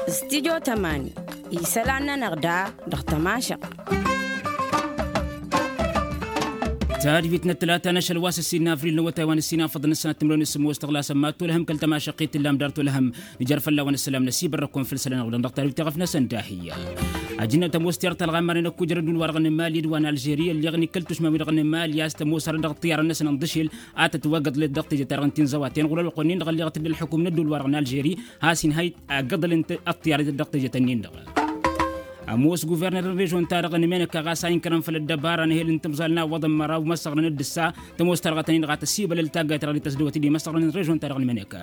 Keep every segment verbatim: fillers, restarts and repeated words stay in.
Studyo tămani isălan-nănăɣ da dăɣ-tămašăɣt. Tadbit n-ătlata n-ašăl wa s-ǝssin n-avril n-awătay wa n-ǝssin afăḍăn ǝssanăt timrăwen s-sǝmmos tăɣlasăn mad-tolăhăm kăl-tămašăɣt i-tǝllam dar tolăhăm. Nǝjar fălla-wen ăssălam n-asibărrăkun făll-isălan-năɣ dăɣ-tadbit i-ɣăf-năsăn dahǝyya. Ajǝnnăt ămoos tiyăr talɣa n-imarnen ăkku jărădul-wa-dăɣ n-imali d-wa n-alžeri ălleɣ n-ikăl tušmawi-dăɣ n-imali a-s tămoos hărăt dăɣ-ăṭṭiyyarăn-năsăn n-dăšel a tătwăgăḍlăt dăɣ-teje-ta-dăɣ n-tinzăwaten ɣur-ălwăqq-wen-in-dăɣ ălleɣăt-dd ălḥukum n-ădduul-wa-dăɣ n-alžeri. Has-inhăy agăḍăl n-ăṭṭiyyar-i-dăɣ dăɣ-teje-tăn-in-dăɣ. Ămoos guverner n-režon-ta-dăɣ n-menăka ɣas a inkărăn făll-ăddăbara n-ehel n-tǝmẓal n-awwăḍăn măraw măsăɣrăn d-ǝssa. Tămoos tarɣătăn-in-dăɣ a tăsibălăl taggayt-ta-dăɣ d-tăsdăwăt d-imăsăɣrăn n-režon-ta-dăɣ n-menăka.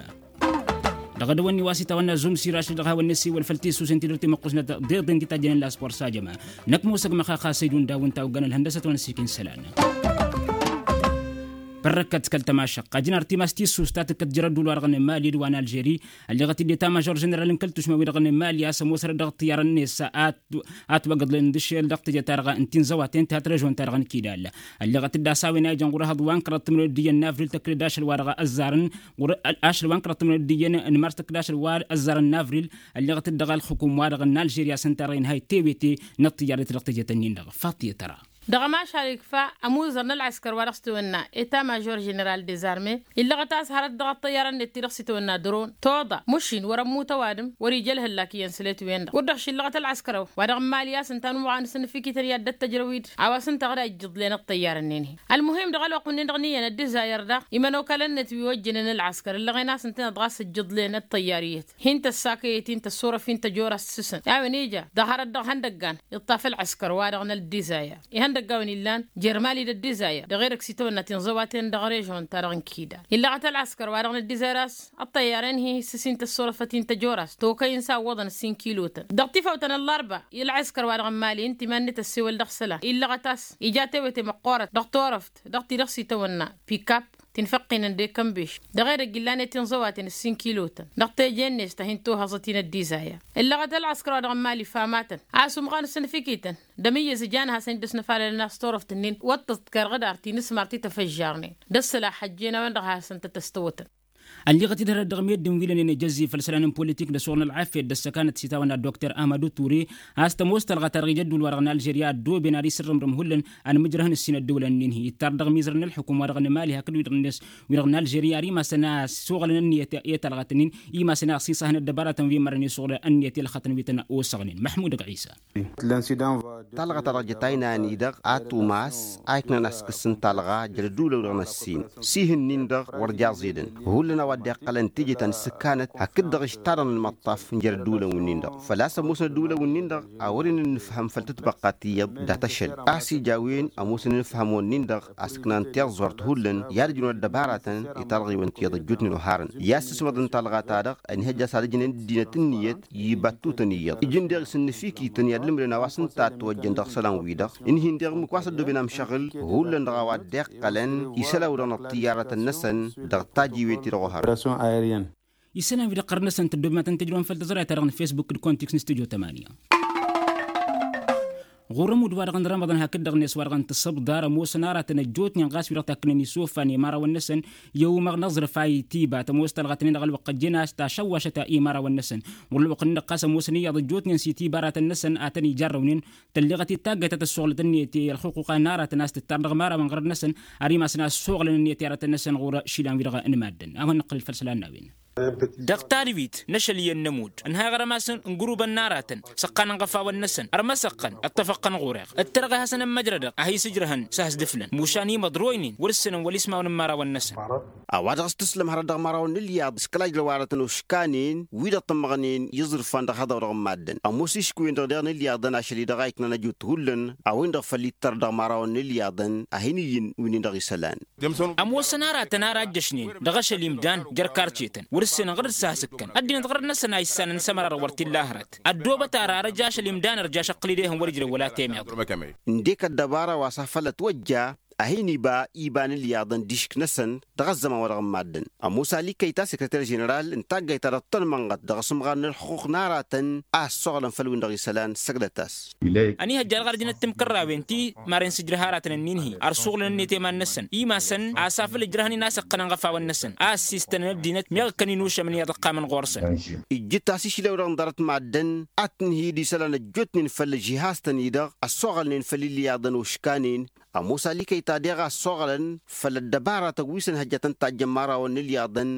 Dăɣ-edăwănni wa s-itawănna zumsir ašăl dăɣ-hawăn-năsiwăl făll-tisusen ti dăr-timăqqusnăt deḍen ti tajjănen la sport s-ajăma. Năkk mosăg măxaxa săydun daw ǝnta oggan ălhăndăsăt wa n-ăssikin isălan. Părrăkkăt kăl-tămašăqqa jǝnar timas tissus ta tǝkkăt jăr-ădduul-wa-dăɣ n-mali d-wa n-alžeri. Ălleɣăt-dd i-tamăžor ženeral n-kăl-tušmawi-dăɣ n-mali a-s ămoosărăt dăɣ-ăṭṭiyyarăn-net a-s a twăgăḍlen d-ašel dăɣ-teje-ta-dăɣ n-tinzăwaten tihat režon-ta-dăɣ n-kidal. Ălleɣăt-dd a-s a-wen a ijăn ɣur-ehăḍ wa n-kăraḍ timǝrwen d-iyyăn n-avril tăkk-dd ašăl wa dăɣ-ăzzarăn ɣur-ašăl wa n-kăraḍ timǝrwen d-iyyăn n-mars tăkk-dd ašăl wa ăzzarăn n-avril. Ălleɣăt-dd dăɣ-ălxukum-wa-dăɣ n-alžeri a-s ǝnta-dăɣ inhăy tewete n-ăṭṭiyyar-net dăɣ-teje-tăn-in-dăɣ. Faḍt i-tăra. Dăɣ-ămašal ikfa ămuzăr n-ălɣăskăr wa dăɣ-s tawănna eta mažor ženeral dezarme illăɣăt a-s hărăt dăɣ-ăṭṭăyyarăn-net ti-dăɣ s-itawănna dăron toḍa mušin wăr-ămmut ăwadǝm wăr-ija ălhăllak iyyăn sălet-wen-dăɣ wăr dăɣ-šillăɣăt ălɣăskăr-awăn wa dăɣ-n mali a-s ǝnta n-umaɣan s-ănfik ităn i-ad-dd-ăttăjrăw-dd a-wa s-ǝnta ɣǝd a ijjǝḍlen ăṭṭăyyarăn-nin-hi. Ălmuhim dăɣ-ălwăqq-wǝnnin-dăɣ n-iyyăn ăddizayăr daɣ imănokalăn-net wi ojjănen ălɣăskăr ǝllăɣen a-s ǝntăneḍ ɣas ǝjjǝḍlen ăṭṭăyyar iyyăt hin-tăssakăyăt hin-tăssurăf hin-tăjorast s-săn a-wen ija dăɣ-hărăt dăɣ-ihăndăggan iṭṭaf ălɣăskăr-wa-dăɣ n-ăddizayăr. Ihăndăggawen illan jer-mali d-ăddizayăr dăɣ-edăgg s-itawănna tinẓăwaten dăɣ-režon-ta-dăɣ n-kidal illăɣăt ălɣăskăr-wa-dăɣ n-ăddizayăr a-s ăṭṭăyyarăn-hi s-sin tăssurăfăt hin-tăjorast tokăy-in s-a ǝwwăḍăn ǝssin kilotăn dăɣ-tifawt ta n-ăllarba. I-ălɣăskăr-wa-dăɣ n-mali ǝnta iman-net ăssewăl dăɣ-isălan illăɣăt a-s ija tewete măqqoorăt dăɣ-turăft dăɣ-ti-dăɣ s-itawănna pikap ti n-făqqinăn d-ekănbeš dăɣ-edăgg illan i-tinẓăwaten ǝssin kilotăn dăɣ-teje-net ta hin-tohăẓăt-in ăddizayăr. Illăɣăt ălɣăskăr-wa-dăɣ n-mali famatăn a-s umɣan s-ănfikităn d-amǝyyăz ǝjan ad-hasăn-dd-ăsnăfalălăn a-s turăft-nin wăṭṭăḍkăr ɣǝdar ti n-asmar ti tăfăžžarnen d-ăssălax ăjjeen a-wen-dăɣ ad-hasăn-tăt-ăstăwătăn. Ălliɣăt-dd hărăt dăɣ-meddǝn wi lănen ejăzzi făll-isălan n-politik d-ăssuɣǝl n-ălɣafyăt d-ăssăkanăt s-itawănna dokter ahmădu ture a-s tămoos talɣa-ta-dăɣ ija ădduul-wa-dăɣ n-alžerya ăddooben ad-isǝrrǝmrǝm hullan ănmǝjrăhăn ǝssin ăddăwlăn-nin-hi ittar dăɣ-mizărăn n-ălxukum-wa-dăɣ n-mali hakd wi-dăɣ n-ăss wi-dăɣ n-alžerya ar imasăn a suɣǝlăn ǝnniyăt i-talɣat-nin imasăn a ăɣsisăhăn ăddăbaratăn wi mărrăn isuɣǝl ǝnniyăt i-ălxătăn wi tăn-osăɣnen măḥmud ăgg ɣisa. Talɣa-ta-dăɣ jăt aynan-i-dăɣ a tumas a iknăn a-s kǝssǝn talɣa jer-ădduulăn-dăɣ n-ăssin s-ihǝnnin-dăɣ wăr jaẓ-edăn hullan a-wa dd-iqqălăn teje ta n-isǝkkanăt hakd-dăɣ ǝžtadăn ălmăṭṭaf n-jer-ădduulăn-win-nin-dăɣ făl-a-s ămoosăn ădduulăn-win-nin-dăɣ a wăren ănnǝfhăm făll-tǝtbăqqa ti iyyăḍ dat-ašăl a-s ija a-wen ămoosăn ănǝfhăm-wăn-nin-dăɣ a-s ǝknan tiẓẓurt hullan i-ad-ǝjrǝwăn ăddăbaratăn i-talɣiwăn ti iyyăḍ ăjjootnen oharăn i-ad-sǝsmăḍăn talɣa-ta-dăɣ ănihăjja a-s ad-ǝjnen ăddinăt ǝnniyăt i-ibattutăn iyyăḍ ǝjǝn deɣ isǝnnǝfikităn i-ad-ǝlmǝdăn a-wa s-ǝnta a ătwăjjăn dăɣ-isălan-wi-dăɣ ǝnhin deɣ ǝmmǝk wa s-ăddooben amšăɣǝl hullan dăɣ-a-wa dd-iqqălăn isălan-wi-dăɣ n-ăṭṭǝyyarătăn-năsăn dăɣ-tajiwet-i-dăɣ oharăn. Isălan-wi-dăɣ ɣărăn-năsăn tăddobem ad-tăn-tǝjrăwăn făll-tăẓrayt-ta-dăɣ n-fesbuk d-kontiks n-studyo tămanya. Ɣur-ămudd-wa-dăɣ n-rămăḍăn hakd-dăɣ-net wa-dăɣ n-tǝssǝbḍar ămoosăn aratăn ăjjootnen ɣas wi-dăɣ takkǝnen isofan i-imărawăn-năsăn i-umăɣ n-aẓrǝf a itiba tămoos talɣătnen dăɣ-ălwăqq ăjjeen a-s tašăwwašăt i-imărawăn-năsăn. Ɣur-ălwăqq-nin-dăɣ ɣas ămoosăn iyyăḍ ăjjootnen s-itiba aratăn-năsăn a tăn-ijarrăwnen tălleɣăt-dd taggayt ta tăssuɣlăt ǝnniyăt i-ălxuquqa n-aratăn a-s tǝttar dăɣ-imărawăn ɣărăn-năsăn. Ar imas n-ad-suɣlăn ǝnniyăt i-aratăn-năsăn ɣur-išilan-wi-dăɣ n-maddǝn a hawăn-nǝqqǝlăl făll-isălan n-a-wen. Dăɣ-tadwit n-ašăl iyyăn n-ămudd ǝnhayăɣ rămasăn n-gurubăn n-aratăn săqqanăn iɣăfawăn-năsăn ărmăsăqqăn ăṭṭăfăqqăn ɣur-eɣ ǝttărăɣ ad-hasăn-ămmăjrădăɣ ad-hi-s ǝjrăhăn s-ad-has-dd-ǝflăn mušan imăḍroynen wăr-ǝssǝnăn wăl-ismawăn n-imărawăn-năsăn. A-wa dăɣ-s tǝslăm hărăt dăɣ-imărawăn n-ǝlyaḍ s-kăla ǝjrăw aratăn oškanen wi-dăɣ tămmăɣnen iẓrǝfan dăɣ-hăḍăw dăɣ-n-maddǝn ămoos iškǝwen-dăɣ deɣ n-ǝlyaḍăn ašăl-i-dăɣ a iknan ăjut hullan a-wen-dăɣ făll-ittăr dăɣ-imărawăn n-ǝlyaḍăn a hin-ǝyyǝn wi-nin-dăɣ isălan. Ămoosăn aratăn ar a ǝjjăšnen dăɣ-ašăl imdan jer-karcetăn wăr-ǝssenăn ɣǝr-dd s-ad-has-ǝkkăn ăddinăt ɣărăt-năsăn a issannăn s-ămăra-dăɣ wăr t-illa hărăt. Ăddoobăt ara ar ăj ašăl imdan ărjaš ăqqǝl-dd ehăn wăr-ǝjrăw wăla temeḍe. Ǝndek ăddăbara wa s-afăl ătwăjja a hin-iba iba n-ilyaḍăn d-išk-năsăn dăɣ-ăzzăman-wa-dăɣ n-maddǝn. Ămoos ali kăyta sekreter ženeral n-taggayt ta dăɣ-tăn-mănɣăt dăɣ-asǝmɣar n-ălxuqq n-aratăn a ăssoɣlăn făll-win-dăɣ isălan săgdăt-as. Ăniihăjja dăɣ-arjǝnăt timkărrawen ti maren sǝjrăh aratăn ǝnnin-hi ărsuɣlăn-net i-iman-năsăn imasăn a-s afăl ǝjrăhăn-in a-s iqqănăn iɣăfawăn-năsăn a ăssiistănăn ăddinăt meɣ ǝkkăn-in ušămăn iyyăḍ ăqqamăn ɣur-săn. Ijjǝt-as išlewăn-dăɣ n-ḍarăt n-maddǝn ad-tǝnhǝyǝd isălan ăjjootnen făll-žihaz-tăn-i-dăɣ ăssoɣălnen făll-ilyaḍăn oškanen. Ămoos ali kăy-ta deɣ a ăssoɣălăn făll-ăddăbaratăn wi s-ănhăjjătăn tajjăn imărawăn n-ilyaḍăn.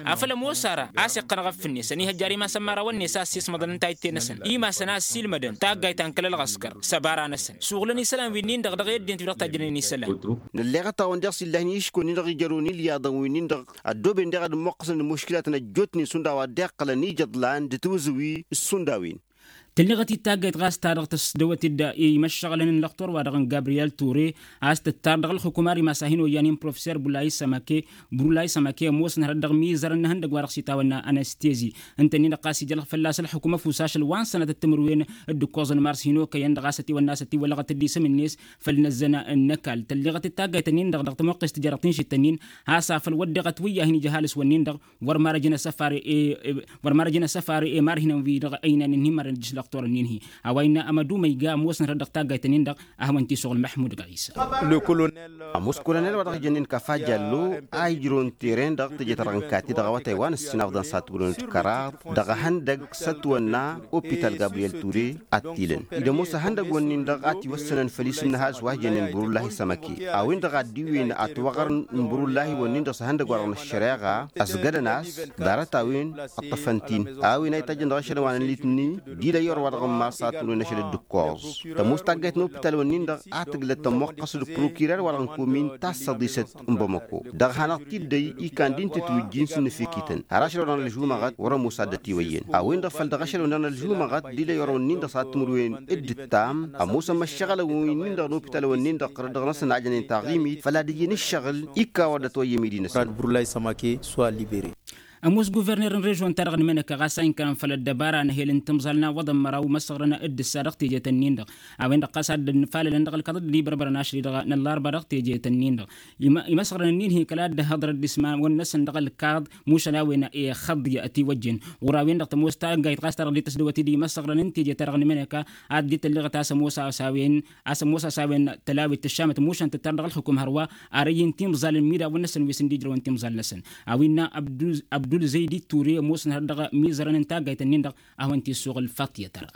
Afăl ămoos ara a-s iqqăn aɣăff-net ăniihăjja ar imasăn imărawăn-net a ăssiismăḍăn n-tayǝtte-năsăn imasăn a ăssiilmădăn taggayt ta n-kăl-ălɣăskăr s-ăbara-năsăn suɣǝlăn isălan wi-nin-dăɣ dăɣ-i ăddinăt wi dăɣ-tajjănen isălan. Nălleɣăt-awăn deɣ s-illăhnen iškăwăn-in-dăɣ ijărrăwăn ilyaḍăn wi-nin-dăɣ ăddooben deɣ ad-ămmuqqăsăn d-muškilatăn ăjjootnen šund a-wa dd-iqqălăn ijăḍlan d-tiwǝzǝwi s-šund a-wen. Tǝlleɣăt-dd taggayt ɣas ta dăɣ-tăsdăwăt-dd i-imăššăɣǝlăn n-lăxtur-wa-dăɣ n-gabriyel ture a-s tǝttar dăɣ-ălxukuma ar imas a hin-oyyanen professer bulay sămake. Brulay sămake ămoosăn hărăt dăɣ-mizărăn n-ehăndăgg wa dăɣ-s itawănna anăstezi ǝnta-nin-dăɣ ɣas ija fălla-s ălxukuma ăfusaš ălwa n-sănatăt timǝrwen d-ǝkkoẓăn mars hin-okăyăn-dăɣ a-s ătiwănna a-s ătiwălăɣăt-dd isǝm-net făll-inăzzăn n-ăkall tălleɣăt-dd taggayt-nin-dăɣ dăɣ-tămoqqest tǝjăr tišǝt-nin has-afăl wădden ătwǝyyahin ija ăhalǝs-wăn-nin dăɣ-wăr marăjăn ăsăfar i-i wăr marăjăn ăsăfar i-i marhinăn-wi-dăɣ ăynayăn ǝnhǝy marăn ăjjǝš lăxtor-nin-hi. A-wa innă amădu măyga ămoosăn hărăt dăɣ-taggayt-nin-dăɣ a hawăn-t-isuɣǝl măḥmud ɣisa. Ămoos kolonel wa dăɣ-ijănnen kafa jallo a ijrăwăn teren-dăɣ teje-ta-dăɣ n-kati dăɣ-awătay wa n-ǝssinafḍăn s-ad-tǝmrǝwăn d-kăraḍ dăɣ-ehăndăgg s-ătwănna opital gabriyel ture. Ad-t-ilăn id-ămoos ehăndăgg-wǝnnin-dăɣ a tiwăssănăn făll-isǝm n-ehaz wa ijănnen burullahi sămăke a-wen-dăɣ a dd-iwǝyăn atwăɣăr n-burullahi-wǝnnin-dăɣ s-ehăndăgg wa dăɣ-năššăreɣa ăsgădăn-as. Ḍarăt-a-wen ǝṭṭăfăn-t-in a-wen a itajjăn dăɣ-ašăl wa n-ăllitni d-ila i-orăwa dăɣ-ămmas a tǝmrǝwen ašăl d-ǝkkoẓ. Tămoos taggayt n-opital-wǝnnin-dăɣ a tǝglăt tămmoqqăs d-prokirer wa dăɣ-n komin tassăḍisăt n-bamăko dăɣ-hanăɣ-t-dd-ăy ikan d-inti tiwǝjjin s-ǝnnǝfikităn har ašăl wa dăɣ-nălžumăɣăt wăr-ămoos ad-ătiwăyyăn a-wen-dăɣ făl dăɣ-ašăl wa dăɣ-nălžumăɣăt d-ila i-orăwăn-nin-dăɣ s-ad-tǝmrǝwen d-ǝttam. Ămoosăn măššăɣǝlăn wi-nin-dăɣ n-opital-wǝnnin-dăɣ ɣărăt dăɣ-năsăn a jănen taɣimit făll-ad-ǝjǝn ǝššăɣǝl ikka wa dd-ătwăyyăm idinăsăn. Ămoos guverner n-režon-ta-dăɣ n-imănăka ɣas a inkărăn făll-ăddăbara n-ehel n-timẓal n-awăḍăn măraw măsăɣrăn d-ǝssa dăɣ-teje-tăn-nin-dăɣ a-wen-dăɣ ɣas ad-dd-nǝfalălăn dăɣ-ălkaḍăd d-ibărbărăn ašăl-i-dăɣ n-ăllarba dăɣ-teje-tăn-nin-dăɣ. Imăsɣrăn-nin-hi kăla dd-hăḍrăd ismawăn-năsăn dăɣ-ălkaḍ mušăl a-wen ixăḍḍi ătiwăjjen. Ɣur-a-wen-dăɣ tămoos taggayt ɣas ta dăɣ-dd-tăsdăwăt-dd imăsɣrăn n-teje-ta-dăɣ n-imănăka ad-dd-tălleɣăt a-s ămoos a-s a-wen a-s ămoos a-s a-wen tălawit tǝššamăt mušan tǝttar dăɣ-ălxukum hărwa. Ar ăyy n-timẓal n-imidawăn-năsăn wi s-ǝnda ijrăwăn timẓal-năsăn a-wen innă abdul zăydi ture ămoosăn hărăt dăɣ-mizărăn n-taggayt-nin-dăɣ. A hawăn-t-isuɣǝl faṭiyăt ara.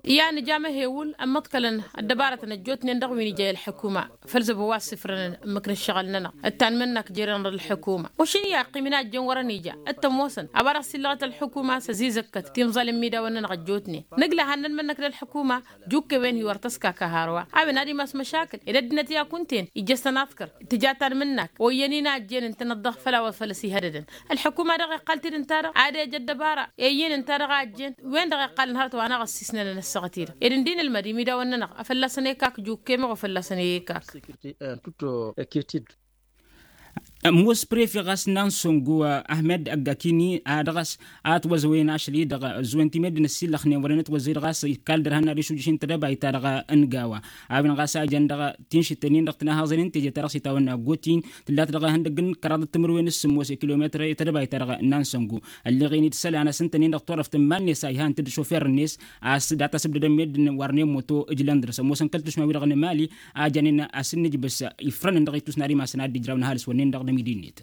Iyyăn ija amăhewǝl ămmăḍkălăn ăddăbarătăn ăjjootnen dăɣ-wi n-ija i-ălḥukuma făll-zăbo wa ăssifrănăn ǝmmǝk n-ǝššăɣǝl-nănăɣ. Ǝttan mǝnnak jere-nănăɣ d-ălḥukuma ušǝn i-aqqim inajen wărăn ija. Ǝttăn-wosăn a-wa dăɣ-s illăɣăt ălḥukuma s-ăzizăkkăt timẓal n-imidawăn-nănăɣ ăjjootnen. Nǝgla hannăn mǝnnăk d-ălḥukuma jukkewen-hi wăr tăskaka hărwa. A-wen ad-imas măšakǝl ed ăddinăt i-ad-kunta-en ija-s tăn-aḍkăr tǝja ta n-mǝnnak. Oyyăn inajen ǝntănăt dăɣ-făll-a-wa făl ăsihădădăn. Ălḥukuma-dăɣ iqqal-t-dd ǝnta-dăɣ ad-ej ăddăbara. Iyyăn ǝnta-dăɣ a ăjjeen wen-dăɣ iqqalăn hărăt wa n-aɣăssis-nănăn ăssaɣăt-i-dăɣ ed ǝndin ǝlmăd imidawăn-nănăɣ a fălla-săn ekak jukkemăɣ ofălla-săn ekak. Ămoos prefe ɣas n-ansongo ahmed ăggakini a dăɣ-s a ătwăzăwen ašăl-i-dăɣ ăzzuwen ti meddǝn ăssiillăxnen wăren ătwăzăy-dăɣ a-s ikal dăr-hăn ad-išujǝš n-tedăbayt-ta-dăɣ n-gawa. A-wen ɣas a jăn dăɣ-tinšǝtten-in-dăɣ tǝnahăẓen n-teje-ta-dăɣ s-itawănna gotin tǝllat dăɣ-ehăndăgg n-kăraḍăt timǝrwen s-sǝmmos i-kilometăr i-tedăbayt-ta-dăɣ n-ansongo. Ălleɣ-in-dd isălan a-s ǝntănen dăɣ-turăft n-iman-net a ihan-t-dd šofer-net a-s data s-ǝbdădăn meddǝn wărnen moto ǝjlăn dăr-s ămoosăn kăl-tušma-wi-dăɣ n-emali. A jănen a-s ǝnnǝjbǝs ifrănăn dăɣ-ittus n-ad-imasăn ad-dd-ijrawăn ăhalǝs-wǝnnin-dăɣ d-amidi-net.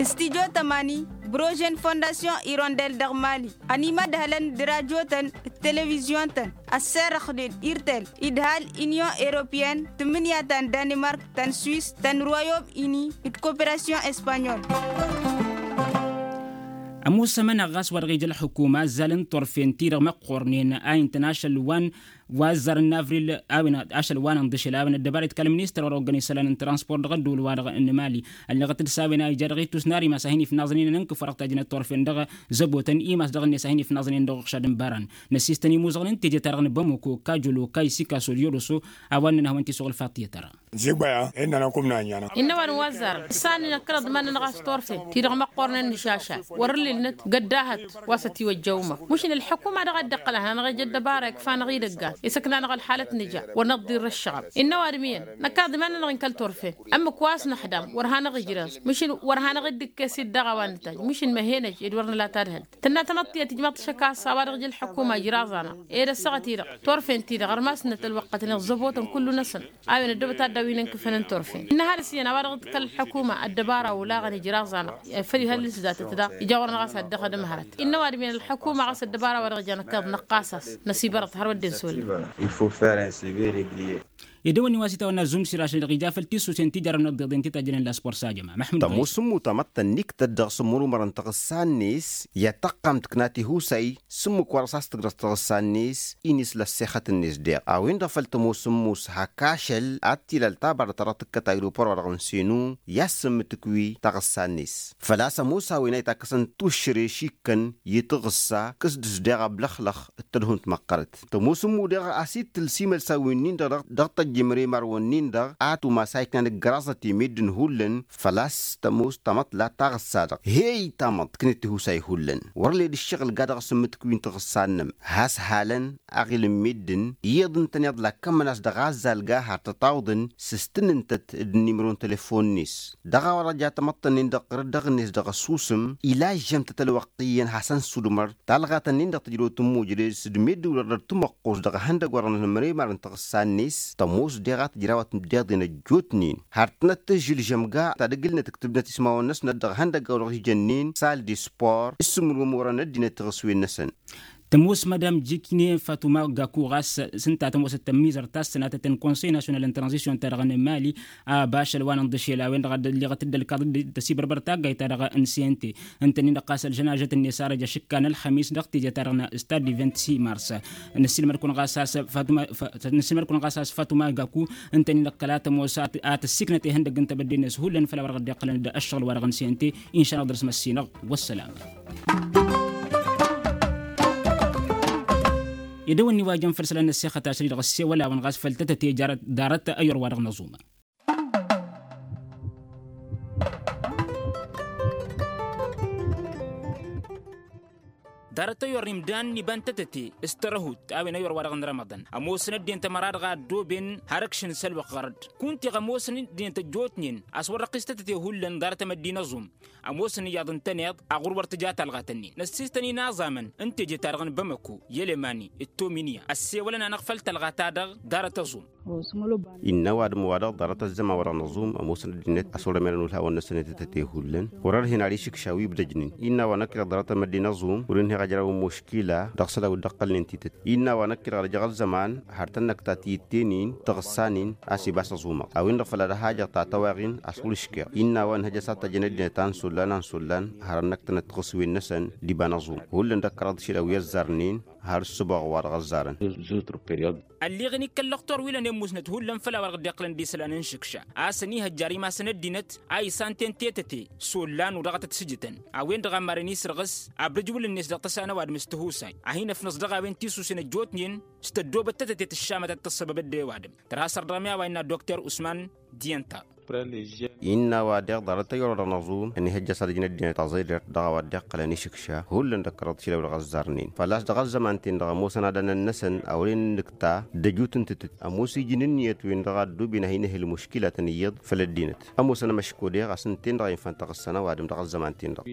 Studyo tămani, brožen fondasyon irondel dăɣ-mali ănimădhălăn d-radyo-tăn d-televizyon-tăn ăsserăxnen irtel idhal inyon europeyăn tǝmmǝnǝya ta n-danimark ta n-swis ta n-royom ini d-koperasyon espanyol. Ămoos ămăneɣ ɣas wa dăɣ-ija ălḥukuma ăzzalăn turfen-ti-dăɣ măqqornen a intăn ašăl wa n-wa ăzzarăn n-avril a-wen ašăl wa n-ănḍǝšel a-wen ăddăbaret kăl-ministăr wa dăɣ-oggăn isălan n-transport dăɣ-ădduul-wa-dăɣ n-mali. Ălleɣăt-dd s-a-wen a ija dăɣ-ittus n-ar imas a hin-ifnaẓăn-in ănn kǝfărăɣ tajnăt turfen dăɣ-zăbotăn imas dăɣ-net a hin-ifnaẓăn-in dăɣ-uɣšad n-baran. Năssistăn imuzăɣăn n-teje-ta-dăɣ n-bamoko kajolo kaysikaso d-yoroso. A-wa ǝnnăn a hawăn-t-isuɣǝl faṭiyăt ara. Ǝnzǝgbăya innăn a kum n-anyănăɣ. Innă wa n-wa ăzzarăn s-a ănnănăɣ kăraḍ iman-nănăɣ a-s turfen ti-dăɣ măqqornen nǝšaša wăr-ǝllǝlnăt găddahăt wa s-ătiwăjja umăɣ. Mušǝn ălḥukuma dăɣ-a dd-iqqăl ad-hanăɣ-ej ăddăbara ikfa-năɣ idăggan Isăkna-năɣ ălxalăt nǝja wăr năḍḍirra ǝššăɣăb. Innă ăwadǝm iyyăn năkk aḍǝm-anănăɣ inkăl turfen. Ămmǝk wa s-năxdam wăr hanăɣ-ijrăẓ mǝšǝn wăr hanăɣ-dd-ǝkkes-dd dăɣ-a-wa nǝtajj mǝšǝn măhenăj ed wăr nǝla tadhǝlt. Tǝnna tanăḍt tiyyăt ijmaḍ-t ašăk a-s a-wa-dăɣ ija ălḥukuma ijraẓ-anăɣ ed ăssaɣăt-i-dăɣ turfen-ti-dăɣ ărmas-năt ălwăqqătnen ẓăbotăn kullu-năsăn. A-wen ăddoobăt ad-dd-awǝynen kǝfăn n-turfen ǝnnă hadǝs iyyăn a-wa-dăɣ dd-kăl-ălḥukuma ăddăbara olaɣăn ijraẓ-anăɣ. Făll-ihăllǝs datăt daɣ ija wăr năɣas ad-dd-ăxdǝm hărăt. Innă ăwadǝm iyyăn ălḥukuma ɣas ăddăbara wa dăɣ-ija năkkeḍ năqqas-as năsibărăḍ har wădden s-olăɣ. Edăwănni wa s-itawănna zumsir ašăl-i-dăɣ ija făll-tisusen ti jarrăwăn ăḍḍeḍen ti tajjănen la spor s-ajăma măḥmud. Tămoos ǝmmu tamăḍt tănniktăt dăɣ-sǝmmurumărăn taɣǝssa-net i-ad-tăqqam tǝkna tihusay s-ǝmmǝk wa dăɣ-s a-s tǝgrăẓ taɣǝssa-net. Inǝsla ăssexăt-net deɣ a-wen-dăɣ făll-tămoos ǝmmu s-hak ašăl ad-t-ilal tabarăt ta dăɣ-tǝkkăt aeropor wa dăɣ-nǝsenu i-ad-sǝmmǝtǝkwi taɣǝssa-net. Făl-a-s ămoos a-wen a itakkăsăn tuššăre šikkăn i-taɣǝssa kǝs-dd-s deɣ ablăxlăx d-tadhunt măqqărăt. Tămoos ǝmmu deɣ a-s ittǝl s-imălsan wi-nin-dăɣ dăɣ-tăjj imremar-wăn-nin-dăɣ a tumas a iknan ǝggăraẓăt i-meddǝn hullan. Făl-a-s tămoos tamăḍt la taɣǝssa-dăɣ heyy tamăḍt tǝknǝt tihusay hullan wăr led ǝššăɣǝl ga dăɣ-s ǝmmǝtǝk wi n-taɣǝssa-năm has-halăn aɣil n-meddǝn iyyăḍ ǝntăneḍ la ǝkkămmăn-as dăɣ-azzal ga har tătawǝḍăn s-s tǝnnǝntăt d-inimro n-telefon-net. Dăɣ-a-wa dăɣ-ja tamăḍt-ǝnnin-dăɣ ɣărăt dăɣ-net dăɣ-ăssusǝm ila ǝžžămtăt ălwăqq iyyăn hasăn-sudmăr talɣat-ǝnnin-dăɣ tǝjrăwt n-imujre s-dd-meddǝwlăr dăr-tǝmăqqos dăɣ-ehăndăgg wa dăɣ-nănămremar n-taɣǝssa-net. Tămoos deɣ a tǝjrawăt d-iḍen ăjjootnen har tănăt-tǝžžǝlžăm ga tadǝgǝlnăt ǝktǝbnăt ismawăn-năsnăt dăɣ-ehăndăgg a-wa dăɣ-ijănnen sal d-spor s-sǝmmǝrwăm orăn ăddinăt tiɣǝswen-năsăn. Tămoos madam jikne fatuma gaku ɣas s-ǝnta tămoosăt tămmizărt ta s-sănatăt n-konsăy nasyonal n-tranzisyon-ta-dăɣ n-mali. A bašăl wa n-ǝnḍǝšel a-wen-dăɣ a dd-ălliɣăt dd-ălkaḍ d-tăsibărbăr taggayt-ta-dăɣ n-sente ǝntănnin-dăɣ ɣas ălžănažăt-net arăj ašǝkka n-ălxămis dăɣ-teje-ta-dăɣ n-stad n-vingt-six mars. Nǝssilmăd-kăwăn ɣas a-s fatuma gaku ǝntănnin-dăɣ kăla tămoos a tăssiknăt ihăndăgg n-tebădde-net hullan făll-a-wa dăɣ-dd-iqqălăn d-ăššăɣǝl-wa-dăɣ n-sente. Inša-năɣ dăr-s măssinăɣ. Wăssalam. Edăwănni wa jăn făll-isălan n-ăssexăt ašăl-i-dăɣ ăssewăl-awăn ɣas făll-tătăte jarăt ḍarăt ăyyor-wa-dăɣ n-aẓuma. Ḍarăt ăyyor n-imdan n-iba n-tătăte s-tărăhut a-wen ăyyor-wa-dăɣ n-rămăḍăn ămoosăn ăddinăt ămăra-dăɣ a ăddooben har ǝkšǝn s-ălwăqq ɣărăt. Kunta iɣ ămoosăn ăddinăt ăjjootnen a-s wăr-răqqis tătăte hullan ḍarăt amăddi n-aẓum. Ămoosăn iyyăḍ ǝntăneḍ aɣur wăr tǝja talɣat-ǝnnin năssiistăn inaẓamăn n-teje-ta-dăɣ n-bamăko i-elemani d-tominya ăssewălăn-anăɣ făll-talɣa-ta-dăɣ. Ḍarăt ăẓum. Innă ăwadǝm-wa-dăɣ ḍarăt ăzzăman wa dăɣ-năẓum ămoosăn ăddinăt a-s wăr-ămănăn ulhawăn-năsăn i-tătăte hullan. Wăr-ărhen ar išǝkša wi ibdăjnen innă a-wa năkk-i-dăɣ ḍarăt amăddi n-aẓum wăr-inhăy a ăjraw n-muškila dăɣ-isălan wi dd-ăqqălnen tităt. Innă a-wa năkk-i-dăɣ ad-ăjăɣ ălzăman har tănnăkta tiyǝtte-nin taɣǝssa-nin a-s ibas aẓumăɣ a-wen-dăɣ făll-ad-ăhajăɣ ta tăwaɣin a-s wăr-ǝškeɣ. Innă a-wa ǝnhăj a-s ad-tăjjăn ăddinăt a n-isullan a n-isullan har ănnăktănăt tiɣǝswen-năsăn d-iba n-aẓum hullan d-ăkkăraḍ išilaw i-ăzzarnen. Har ǝssǝboɣ wa dăɣ-ăzzarăn. Ălleɣ-in ikkăl lăxtor wi lănen musnăt hullan făll-a-wa dăɣ-dd-iqqălăn d-isălan n-išǝkša a-s ănihăjjar imasăn ăddinăt a isanten tetăte s-ollan u-dăɣ a tăt-sǝjǝtăn. A-wen-dăɣ a maren isrăɣǝs abrǝjwǝl-net dăɣ-tăsa n-ăwadǝm s-tihusay a hin-ăfnăẓ dăɣ-a-wen tisusen ăjjootnen s-tăddoobăt tetăte tǝššamăt ad-tăssăbăbăd i-ăwadǝm. Tărha săr dăɣ-mi a-wa innă dokter usman. Diyăn-ta. Innă a-wa deɣ ḍarăt ăyyor wa dăɣ-năẓum ănihăjja s-ad-ǝjǝn ăddinăt aẓeḍert dăɣ-a-wa dd-iqqălăn išǝkša hullan d-ăkkărăḍ šilăw dăɣ-ăzzarnen făl-a-s dăɣ-ăzzăman-ten-dăɣ ămoosăn ad-ănăn-năsăn a wăren nǝkta d-ăjut n-tǝtǝt. Ămoos iji n-ǝnniyăt-wen-dăɣ a ăddooben a hin-ehǝl muškilatăn iyyăḍ făll-ăddinăt. Ămoosăn ămăško deɣ a-s ǝnta-en-dăɣ a infan taɣǝssa n-ăwadǝm dăɣ-ăzzăman-ten-dăɣ.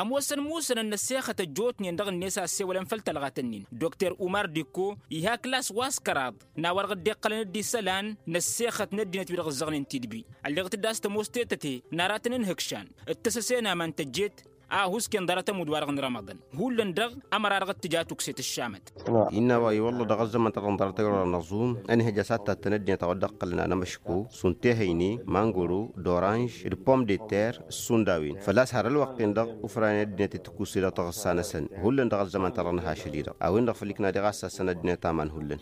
Ămoosăn musănăn n-ăssexăt ăjjootnen dăɣ-net a ăssewălăn făll-tălɣat-nin dokter umar dikko iha klas wa s-kăraḍ n-a-wa-dăɣ dd-iqqălăn d-isălan n-ăssexăt n-ăddinăt wi-dăɣ ǝzzăɣnen tidbi. Ălleɣ-t dd-a-s tămoos tetăte n-aratăn n-ihǝkšan d-tăsăse n-aman tăjjeet a ăhuusken ḍarăt ămudd-wa-dăɣ n-rămăḍăn. Hullan-dăɣ ămăra-dăɣ t-tǝja tukse tǝššamăt. Innă a-wa i-wălla dăɣ-ăzzăman-ta-dăɣ n-ḍarăt ăyruḍăn n-aẓum ănihăj a-s ad-tattăn ăddinăt a-wa dd-ăqqălăn anămăško šund tehăyne mangoro d-oranž d-pom de ter. Šund a-wen făl-a-s har ălwăqq-en-dăɣ ufranen ăddinăt i-tǝkuse dăɣ-taɣǝssa-năsăn. Hullan dăɣ-ăzzăman-ta-dăɣ n-ahašăl-i-dăɣ a-wen-dăɣ făl ikna deɣ a-s tassăn ăddinăt aman hullan.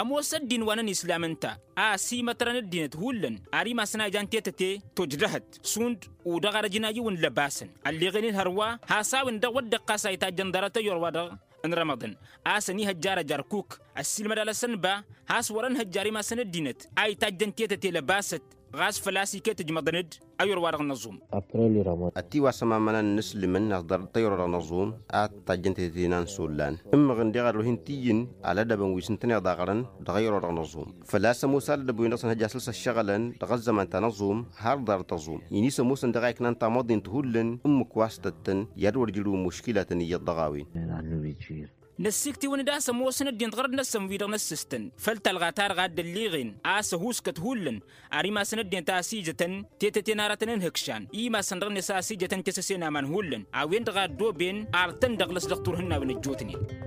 Ămoos ăddin wa n-ănislam ǝnta a ăsimătrăn ăddinăt hullan ar imasăn a ijan tetăte tojdăhăt šund u-dăɣ ar ăjǝn ayyǝw n-lăbasăn. Ălleɣen-in hărwa has-a-wen-dăɣ wăr dd-iqqas a itajjăn ḍarăt ăyyor-wa-dăɣ n-rămăḍăn a-s ănihăjja arăj ărkuk. Ăssiilmăd alăsăn ba has-wăr-ănhăjja ar imasăn ăddinăt a itajjăn tetăte lăbasăt. Ɣas făl-a-s iket ǝjmăḍăn-dd ăyyor-wa-dăɣ n-ăẓum. Ătiwasăm amănan n-asǝlǝmăn ăẓḍarăt tăyro-dăɣ n-ăẓum ad-tajjăn tetena n-isollan. Ǝmmăɣ ǝndeɣ ărruh n-tiyyǝn alădăbăn wi s-ǝntăneḍ aɣrăn dăɣ-ăyro-dăɣ n-ăẓum. Făl-a-s ămoos alădăb-wi-dăɣ s-ănhăj asǝl s-ăššăɣǝlăn dăɣ-ăzzăman ta n-ăẓum har ḍarăt ăẓum-in-i s-ămoosăn dăɣ-a iknan tamăḍint hullan ǝmmǝk wa s-tăttăn i-ad-wăr jǝrǝwăn muškilatăn iyyăḍ dăɣ-a-wen. Năssiktǝwăn-dd a-s ămoosăn ăddin d-ɣărăt-năsăn wi-dăɣ n-ăssǝstăn făll-talɣa-ta-dăɣ a dd-ălliɣen a-s ăhuuskăt hullan ar imasăn ăddin ta a-s ijătăn tetăte n-aratăn n-ihǝkšan i-imasăn-dăɣ-net a-s ijătăn căsăsen aman hullan a-wen-dăɣ a ăddooben artăn dăɣ-lăs dăɣ-turhǝnnawen ăjjootnen.